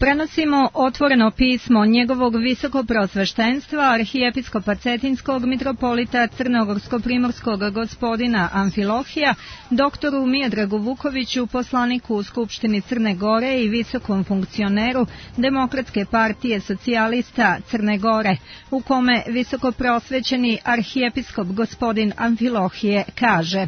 Prenosimo otvoreno pismo njegovog visokopreosveštenstva arhijepiskopa Cetinskog mitropolita Crnogorsko-primorskog gospodina Amfilohija, doktoru Miodragu Vukoviću, poslaniku u Skupštini Crne Gore i visokom funkcioneru Demokratske partije socijalista Crne Gore, u kome visokopreosvećeni arhijepiskop gospodin Amfilohije kaže: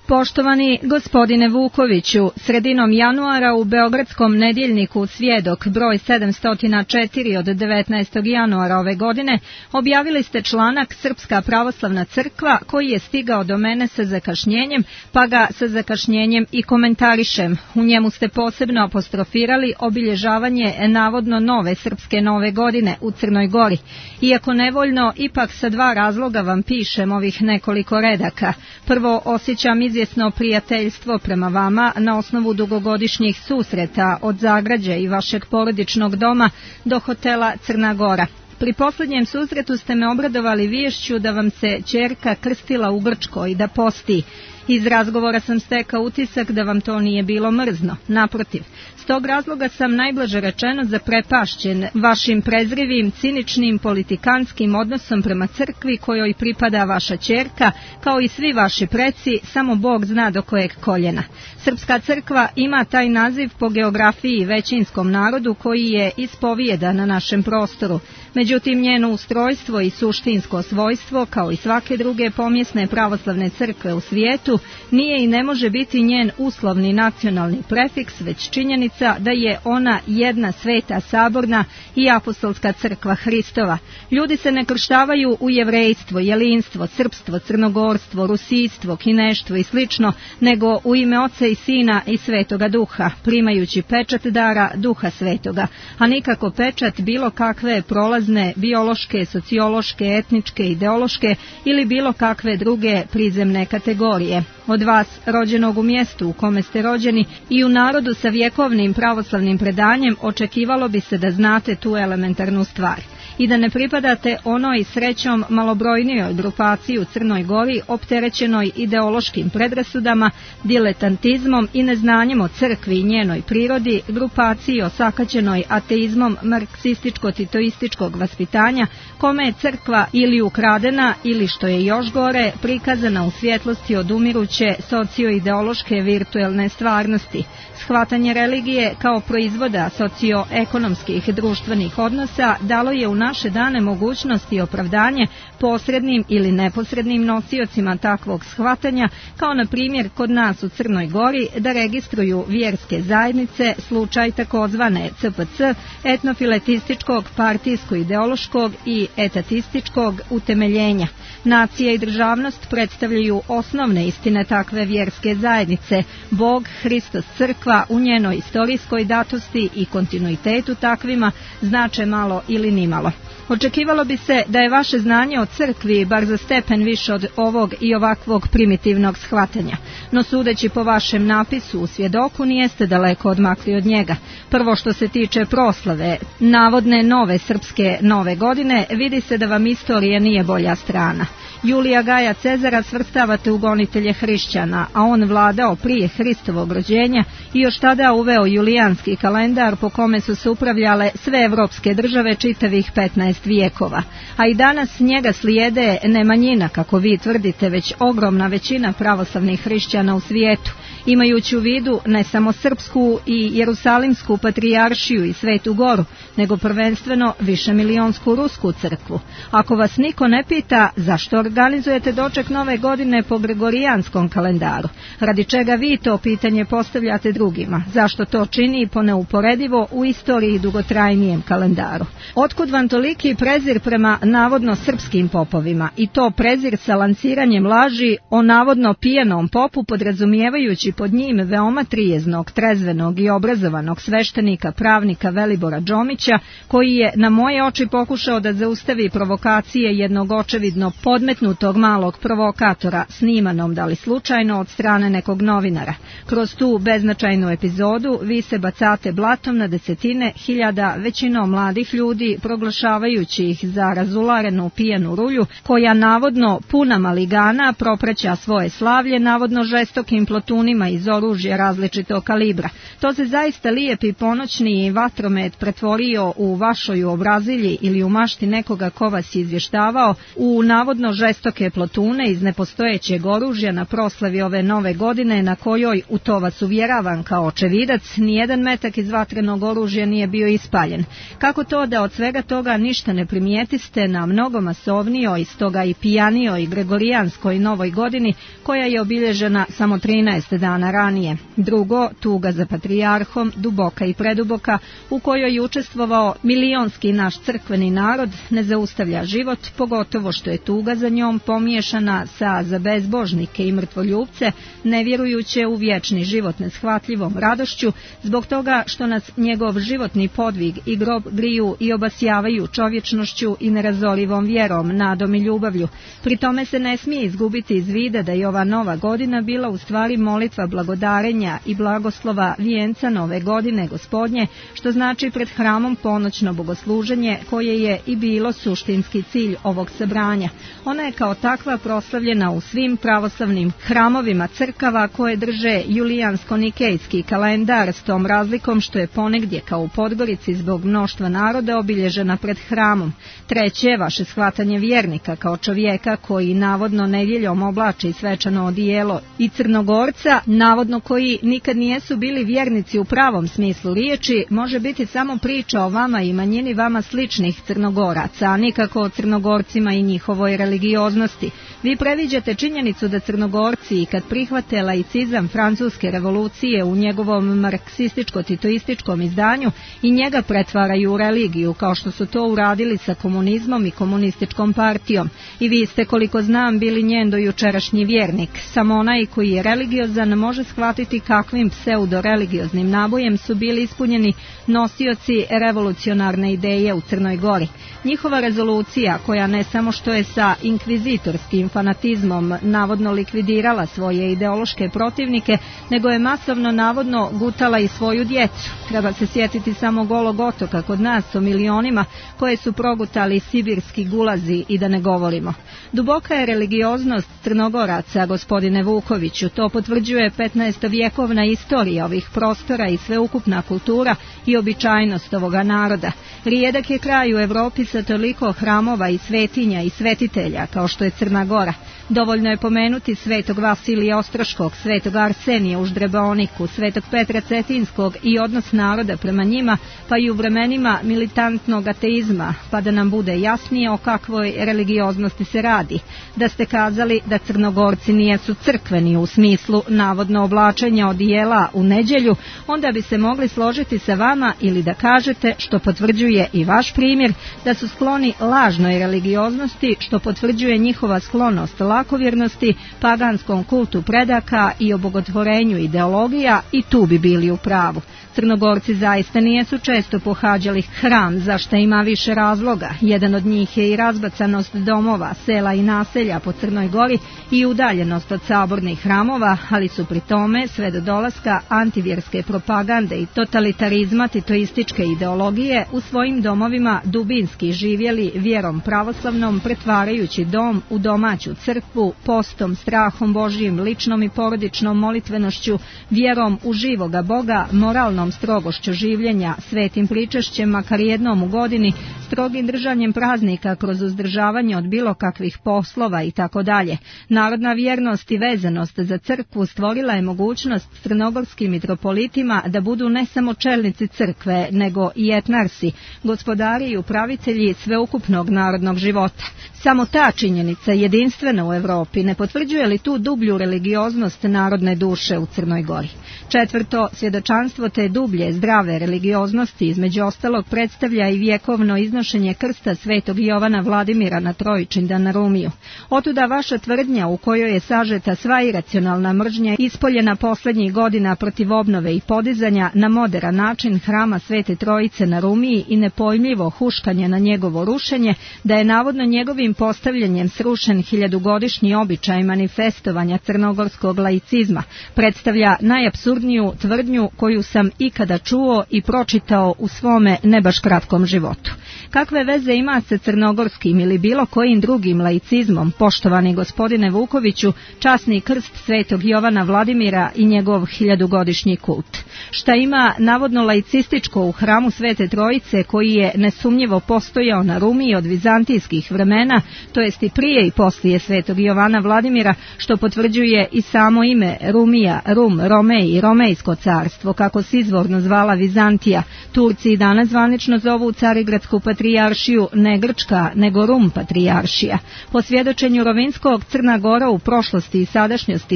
Poštovani gospodine Vukoviću, sredinom januara u Beogradskom nedjeljniku Svjedok broj 704 od 19. januara ove godine objavili ste članak Srpska pravoslavna crkva koji je stigao do mene sa zakašnjenjem, pa ga sa zakašnjenjem i komentarišem. U njemu ste posebno apostrofirali obilježavanje navodno nove srpske nove godine u Crnoj Gori. Iako nevoljno, ipak sa dva razloga vam pišem ovih nekoliko redaka. Prvo, osjećam izvjesno prijateljstvo prema vama na osnovu dugogodišnjih susreta od Zagrađa i vašeg porodičnog doma do hotela Crna Gora. Pri posljednjem susretu ste me obradovali viješću da vam se ćerka krstila u Grčkoj i da posti. Iz razgovora sam stekao utisak da vam to nije bilo mrzno, naprotiv. S tog razloga sam najblaže rečeno zaprepašćen vašim prezrivim, ciničnim, politikanskim odnosom prema crkvi kojoj pripada vaša ćerka, kao i svi vaši preci, samo Bog zna do kojeg koljena. Srpska crkva ima taj naziv po geografiji većinskom narodu koji je ispovijeda na našem prostoru. Međutim, njeno ustrojstvo i suštinsko svojstvo, kao i svake druge pomjesne pravoslavne crkve u svijetu, nije i ne može biti njen uslovni nacionalni prefiks, već činjenica da je ona jedna sveta saborna i apostolska crkva Hristova. Ljudi se ne krštavaju u jevrejstvo, jelinstvo, srpstvo, crnogorstvo, rusijstvo, kineštvo i slično, nego u ime Oca i Sina i Svetoga Duha, primajući pečat dara Duha Svetoga, a nikako pečat bilo kakve prolazne, biološke, sociološke, etničke, ideološke ili bilo kakve druge prizemne kategorije. Od vas, rođenog u mjestu u kome ste rođeni i u narodu sa vjekovnim pravoslavnim predanjem, očekivalo bi se da znate tu elementarnu stvar i da ne pripadate onoj srećom malobrojnijoj grupaciji u Crnoj Gori opterećenoj ideološkim predrasudama, diletantizmom i neznanjem o crkvi i njenoj prirodi, grupaciji osakaćenoj ateizmom marksističko-titoističkog vaspitanja, kome je crkva ili ukradena ili, što je još gore, prikazana u svjetlosti odumiruće socioideološke virtuelne stvarnosti. Shvatanje religije kao proizvoda socioekonomskih društvenih odnosa dalo je u naše dane mogućnost i opravdanje posrednim ili neposrednim nosiocima takvog shvatanja, kao na primjer kod nas u Crnoj Gori, da registruju vjerske zajednice, slučaj takozvane CPC, etnofiletističkog, partijsko-ideološkog i etatističkog utemeljenja. Nacija i državnost predstavljaju osnovne istine takve vjerske zajednice. Bog, Hristos, crkva u njenoj istorijskoj datosti i kontinuitetu takvima znače malo ili nimalo. Očekivalo bi se da je vaše znanje o crkvi bar za stepen više od ovog i ovakvog primitivnog shvatanja, no sudeći po vašem napisu u Svjedoku nijeste daleko odmakli od njega. Prvo, što se tiče proslave navodne nove srpske nove godine, vidi se da vam istorija nije bolja strana. Julija Gaja Cezara svrstavate u gonitelje hrišćana, a on vladao prije Hristovog rođenja i još tada uveo julijanski kalendar po kome su se upravljale sve evropske države čitavih 15 vijekova. A i danas njega slijede ne manjina, kako vi tvrdite, već ogromna većina pravoslavnih hrišćana u svijetu, imajući u vidu ne samo srpsku i jerusalimsku patrijaršiju i Svetu Goru, nego prvenstveno višemilijonsku rusku crkvu. Ako vas niko ne pita zašto organizujete doček nove godine po gregorijanskom kalendaru, radi čega vi to pitanje postavljate drugima, zašto to čini po neuporedivo u istoriji dugotrajnijem kalendaru. Otkud vam toliki prezir prema navodno srpskim popovima, i to prezir sa lanciranjem laži o navodno pijenom popu, podrazumijevajući pod njim veoma trijeznog, trezvenog i obrazovanog sveštenika pravnika Velibora Đomića, koji je na moje oči pokušao da zaustavi provokacije jednog očevidno podmetnutog malog provokatora, snimanom da li slučajno od strane nekog novinara. Kroz tu beznačajnu epizodu vi se bacate blatom na desetine hiljada većinom mladih ljudi, proglašavajući ih za razularenu pijanu rulju, koja navodno puna maligana propraća svoje slavlje navodno žestokim plotunima granatama iz oružja različitog kalibra. To se zaista lijepi ponoćni vatromet pretvorio u vašoj obrazilji ili u mašti nekoga ko vas je izvještavao u navodno žestoke plotune iz nepostojećeg oružja na proslavi ove nove godine na kojoj, u to vas uvjeravam kao očevidac, nijedan metak iz vatrenog oružja nije bio ispaljen. Kako to da od svega toga ništa ne primijetiste na mnogo masovnijoj, stoga i pijanijoj gregorijanskoj novoj godini koja je obilježena samo 13 dana ranije? Drugo, tuga za patrijarhom, duboka i preduboka, u kojoj je učestvovao milionski naš crkveni narod, ne zaustavlja život, pogotovo što je tuga za njom pomiješana sa za bezbožnike i mrtvoljubce, nevjerujuće u vječni život neshvatljivom radošću, zbog toga što nas njegov životni podvig i grob griju i obasjavaju čovječnošću i nerazorivom vjerom, nadom i ljubavlju. Pri tome se ne smije izgubiti iz vida da je ova nova godina bila u stvari molitva blagodarenja i blagoslova vijenca nove godine Gospodnje, što znači pred hramom ponoćno bogosluženje koje je i bilo suštinski cilj ovog sabranja. Ona je kao takva proslavljena u svim pravoslavnim hramovima crkava koje drže julijansko-nikejski kalendar, s tom razlikom što je ponegdje kao u Podgorici zbog mnoštva naroda obilježena pred hramom. Treće, vaše shvatanje vjernika kao čovjeka koji navodno nedjeljom oblači svečano odijelo i Crnogorca, navodno koji nikad nijesu bili vjernici u pravom smislu riječi, može biti samo priča o vama i manjini vama sličnih Crnogoraca, a nikako o Crnogorcima i njihovoj religioznosti. Vi previđate činjenicu da Crnogorci, kad prihvate laicizam francuske revolucije u njegovom marksističko-titoističkom izdanju, i njega pretvaraju u religiju, kao što su to uradili sa komunizmom i komunističkom partijom. I vi ste, koliko znam, bili njen dojučerašnji vjernik. Samo onaj koji je religiozan može shvatiti kakvim pseudo-religioznim nabojem su bili ispunjeni nosioci revolucionarne ideje u Crnoj Gori. Njihova rezolucija, koja ne samo što je sa inkvizitorskim fanatizmom navodno likvidirala svoje ideološke protivnike, nego je masovno navodno gutala i svoju djecu. Treba se sjetiti samo Golog otoka kod nas o milionima koje su progutali sibirski gulazi i da ne govorimo. Duboka je religioznost Crnogoraca, gospodine Vukoviću, to potvrđuje 15-vjekovna istorija ovih prostora i sveukupna kultura i običajnost ovoga naroda. Rijedak je kraj u Europi sa toliko hramova i svetinja i svetitelja kao što je Crna Gora. Dovoljno je pomenuti svetog Vasilija Ostroškog, svetog Arsenija u Ždreboniku, svetog Petra Cetinskog i odnos naroda prema njima, pa i u vremenima militantnog ateizma, pa da nam bude jasnije o kakvoj religioznosti se radi. Da ste kazali da Crnogorci nijesu crkveni u smislu navodno oblačenja odijela u nedjelju, onda bi se mogli složiti sa vama ili da kažete, što potvrđuje i vaš primjer, da su skloni lažnoj religioznosti, što potvrđuje njihova sklonost lakovjernosti, paganskom kultu predaka i obogotvorenju ideologija, i tu bi bili u pravu. Crnogorci zaista nijesu često pohađali hram, za što ima više razloga. Jedan od njih je i razbacanost domova, sela i naselja po Crnoj Gori i udaljenost od sabornih hramova, ali su pri tome sve do dolaska antivjerske propagande i totalitarizma titoističke ideologije u svojim domovima dubinski živjeli vjerom pravoslavnom, pretvarajući dom u domaću crkvu, postom, strahom Božijim, ličnom i porodičnom molitvenošću, vjerom u živoga Boga, moralnom strogošću življenja, svetim pričešćem makar jednom u godini, strogim držanjem praznika kroz uzdržavanje od bilo kakvih poslova i tako dalje. Narodna vjernost i vezanost za crkvu stvorila je mogućnost crnogorskim mitropolitima da budu ne samo čelnici crkve, nego i etnarsi, gospodari i upravitelji sveukupnog narodnog života. Samo ta činjenica, jedinstvena u Europi, ne potvrđuje li tu dublju religioznost narodne duše u Crnoj Gori? Četvrto, svjedočanstvo te dublje, zdrave religioznosti između ostalog predstavlja i vjekovno iznošenje krsta svetog Jovana Vladimira na Trojičindan na Rumiju. Otuda vaša tvrdnja u kojoj je sažeta sva iracionalna mržnja ispoljena posljednjih godina protiv obnove i podizanja na moderan način hrama Svete Trojice na Rumiji i nepojmljivo huškanje na njegovo rušenje, da je navodno njegovim postavljanjem srušen hiljadugodišnji običaj manifestovanja crnogorskog laicizma, predstavlja najapsurdniju tvrdnju koju sam ikada čuo i pročitao u svome ne baš kratkom životu. Kakve veze ima sa crnogorskim ili bilo kojim drugim laicizmom, poštovani gospodine Vukoviću, časni krst Svetog Jovana Vladimira i njegov 1000-godišnji kult? Šta ima navodno laicističko u hramu Svete Trojice, koji je nesumnjivo postojao na Rumiji od vizantijskih vremena, to jest i prije i poslije Svetog Jovana Vladimira, što potvrđuje i samo ime Rumija, Rum, Romej i Romejsko carstvo, kako se izvorno zvala Vizantija. Turci i danas zvanično zovu Carigradsku patrijaršiju ne Grčka, nego Rum patrijaršija. Po svjedočenju Rovinskog, Crna Gora u prošlosti i sadašnjosti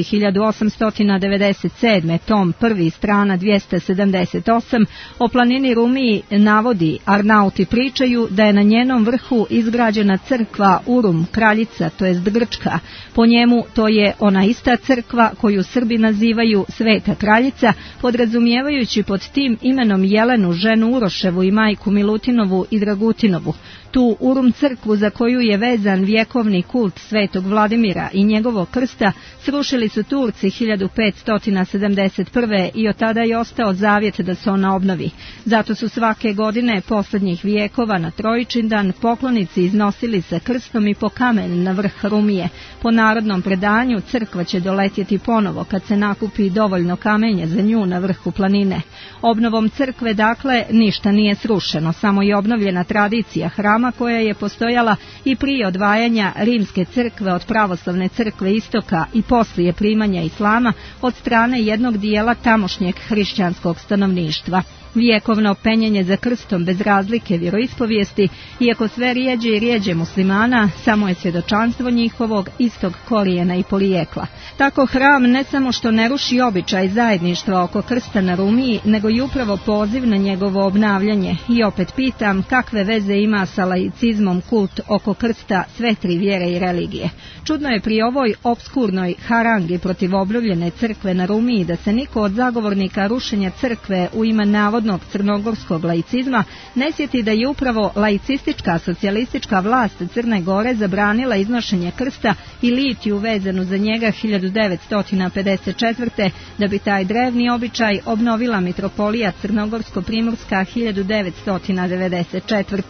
1897. tom 1. strana 278 o planini Rumiji navodi, Arnauti pričaju da je na njenom vrhu izgrađena crkva Urum, kraljica, to jest Grčka. Po njemu to je ona ista crkva koju Srbi nazivaju Sveta kraljica, podrazumijevajući pod tim imenom Jelenu, ženu Uroševu i majku Milutinovu i Dragutinovu. Tu Urum crkvu, za koju je vezan vjekovni kult Svetog Vladimira i njegovog krsta, srušili su Turci 1571. i od tada je ostao zavjet da se ona obnovi. Zato su svake godine posljednjih vijekova na Trojičindan poklonici iznosili sa krstom i po kamen na vrh Rumije. Po narodnom predanju crkva će doletjeti ponovo kad se nakupi dovoljno kamenja za nju na vrhu planine. Obnovom crkve, dakle, ništa nije srušeno, samo je obnovljena tradicija hrama koja je postojala i prije odvajanja Rimske crkve od pravoslavne crkve istoka i poslije primanja islama od strane jednog dijela tamošnjeg hrišćanskog stanovništva. Vijekovno penjenje za krstom bez razlike vjeroispovijesti, iako sve rijeđe i rijeđe muslimana, samo je svjedočanstvo njihovog istog korijena i porijekla. Tako hram ne samo što ne ruši običaj zajedništva oko krsta na Rumiji, nego i upravo poziv na njegovo obnavljanje. I opet pitam, kakve veze ima sa laicizmom kult oko krsta sve tri vjere i religije? Čudno je pri ovoj obskurnoj harangi protiv obnovljene crkve na Rumiji da se niko od zagovornika rušenja crkve u ime navodnog crnogorskog laicizma ne sjeti da je upravo laicistička socijalistička vlast Crne Gore zabranila iznošenje krsta i litiju vezanu za njega 1954. da bi taj drevni običaj obnovila mitropolija Crnogorsko-Primorska 1994.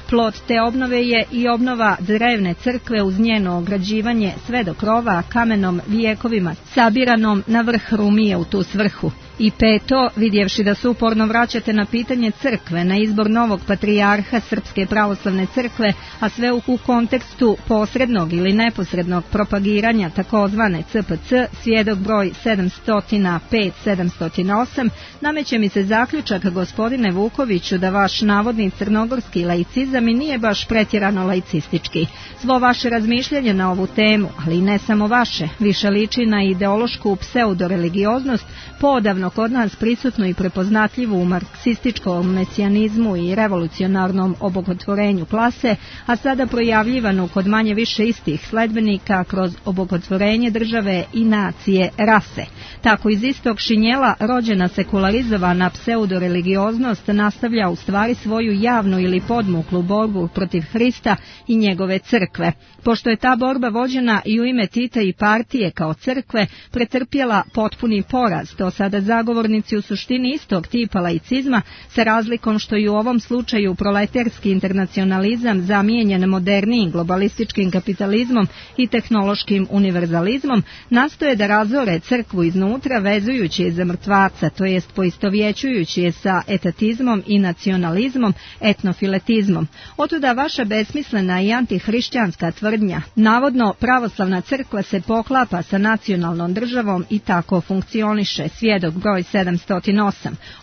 Plod te obnove je i obnova drevne crkve uz njeno ograđivanje sve do krova kamenom vijekovima sabiranom na vrh Rumije u tu svrhu. I peto, vidjevši da se uporno vraćate na pitanje crkve, na izbor novog patrijarha Srpske pravoslavne crkve, a sve u kontekstu posrednog ili neposrednog propagiranja takozvane CPC, svjedok broj 705-708, nameće mi se zaključak, gospodine Vukoviću, da vaš navodni crnogorski laicizam i nije baš pretjerano laicistički. Svo vaše razmišljanje na ovu temu, ali ne samo vaše, više liči na ideološku pseudoreligioznost, poodavno kod nas prisutnu i prepoznatljivu u marksističkom mesijanizmu i revolucionarnom obogotvorenju klase, a sada projavljivanu kod manje više istih sledbenika kroz obogotvorenje države i nacije, rase. Tako iz istog šinjela rođena sekularizovana pseudoreligioznost nastavlja u stvari svoju javnu ili podmuklu borbu protiv Hrista i njegove crkve. Pošto je ta borba vođena i u ime Tita i partije kao crkve pretrpjela potpuni poraz, to sada zagovornici u suštini istog tipa laicizma, sa razlikom što i u ovom slučaju proletarski internacionalizam zamijenjen modernijim globalističkim kapitalizmom i tehnološkim univerzalizmom, nastoje da razore crkvu iznutra vezujući je za mrtvaca, to jest poistovjećujući je sa etatizmom i nacionalizmom, etnofiletizmom. Otuda vaša besmislena i antihrišćanska tvrdnja. Navodno pravoslavna crkva se poklapa sa nacionalnom državom i tako funkcioniše, svjedok broj 708.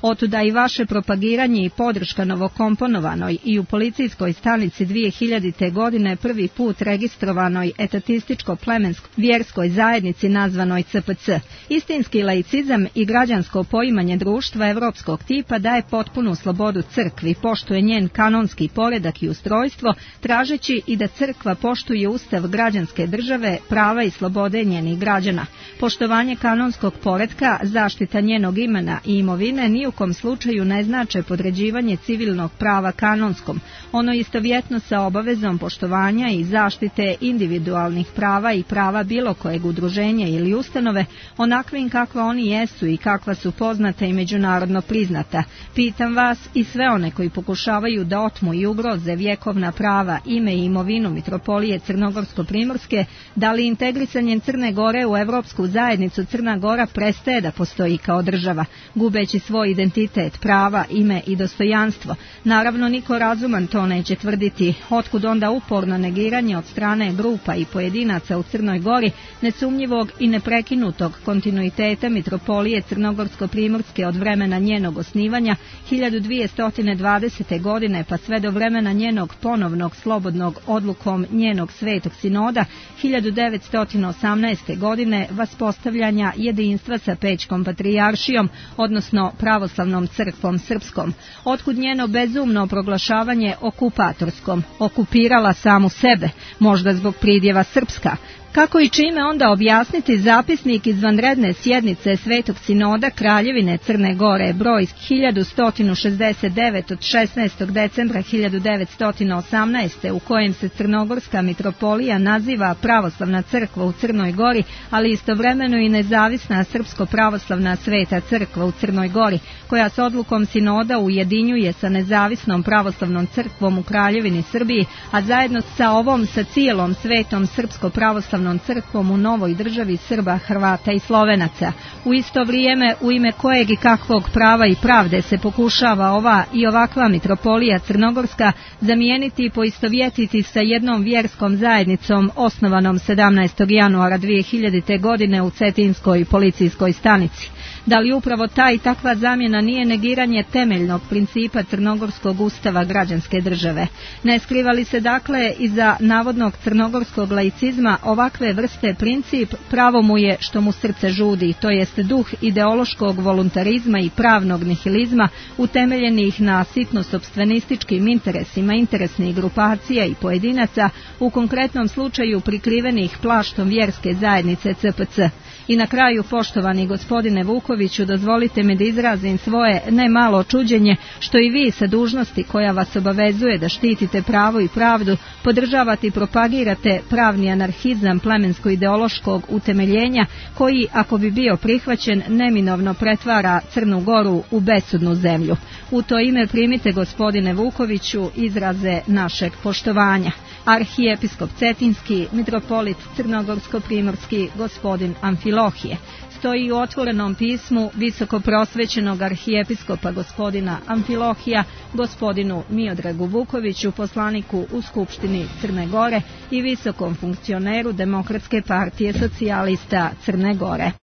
Otuda i vaše propagiranje i podrška novokomponovanoj i u policijskoj stanici 2000. godine prvi put registrovanoj etatističko-plemenskoj vjerskoj zajednici nazvanoj CPC. Istinski laicizam i građansko poimanje društva evropskog tipa daje potpunu slobodu crkvi, poštuje njen kanonski poredak i ustrojstvo, tražeći i da crkva poštuje ustav građanske države, prava i slobode njenih građana. Poštovanje kanonskog poretka, zaštita njenih njenog imena i imovine ni u kom slučaju ne znače podređivanje civilnog prava kanonskom, ono istovjetno sa obavezom poštovanja i zaštite individualnih prava i prava bilo kojeg udruženja ili ustanove, onakvim kakva oni jesu i kakva su poznata i međunarodno priznata. Pitam vas i sve one koji pokušavaju da otmu i ugroze vjekovna prava, ime i imovinu Mitropolije Crnogorsko-Primorske, da li integrisanjem Crne Gore u Evropsku zajednicu Crna Gora prestaje da postoji kao država, gubeći svoj identitet, prava, ime i dostojanstvo? Naravno, niko razuman to neće tvrditi. Otkud onda uporno negiranje od strane grupa i pojedinaca u Crnoj Gori nesumnjivog i neprekinutog kontinuiteta Mitropolije Crnogorsko-Primorske od vremena njenog osnivanja 1220. godine pa sve do vremena njenog ponovnog slobodnog odlukom njenog Svetog sinoda 1918. godine vaspostavljanja jedinstva sa Pećkom patrijaršijom, odnosno pravoslavnom crkvom srpskom? Otkud njeno bezumno proglašavanje okupatorskom? Okupirala samu sebe, možda zbog pridjeva srpska. Kako i čime onda objasniti zapisnik izvanredne sjednice Svetog sinoda Kraljevine Crne Gore, broj 1169 od 16. decembra 1918. u kojem se Crnogorska mitropolija naziva Pravoslavna crkva u Crnoj Gori, ali istovremeno i nezavisna Srpsko-pravoslavna Sveta crkva u Crnoj Gori, koja s odlukom sinoda ujedinjuje sa nezavisnom pravoslavnom crkvom u Kraljevini Srbiji, a zajedno sa ovom sa cijelom Svetom Srpsko-pravoslavnom crkvom u novoj državi Srba, Hrvata i Slovenaca. U isto vrijeme, u ime kojeg i kakvog prava i pravde se pokušava ova i ovakva mitropolija Crnogorska zamijeniti i poistovjetiti sa jednom vjerskom zajednicom osnovanom 17. januara 2000. godine u Cetinskoj policijskoj stanici. Da li upravo ta i takva zamjena nije negiranje temeljnog principa crnogorskog ustava građanske države? Ne skriva li se dakle iza navodnog crnogorskog laicizma ovakve vrste princip, pravo mu je što mu srce žudi, to jest duh ideološkog voluntarizma i pravnog nihilizma utemeljenih na sitno-sopstvenističkim interesima interesnih grupacija i pojedinaca, u konkretnom slučaju prikrivenih plaštom vjerske zajednice CPC. I na kraju, poštovani gospodine Vukoviću, dozvolite mi da izrazim svoje ne malo čuđenje što i vi sa dužnosti koja vas obavezuje da štitite pravo i pravdu, podržavate i propagirate pravni anarhizam plemensko-ideološkog utemeljenja koji, ako bi bio prihvaćen, neminovno pretvara Crnu Goru u besudnu zemlju. U to ime primite, gospodine Vukoviću, izraze našeg poštovanja. Arhijepiskop Cetinski, mitropolit Crnogorsko-Primorski, gospodin Amfilohije. Stoji u otvorenom pismu visoko prosvećenog arhijepiskopa gospodina Amfilohija, gospodinu Miodragu Vukoviću, poslaniku u Skupštini Crne Gore i visokom funkcioneru Demokratske partije socijalista Crne Gore.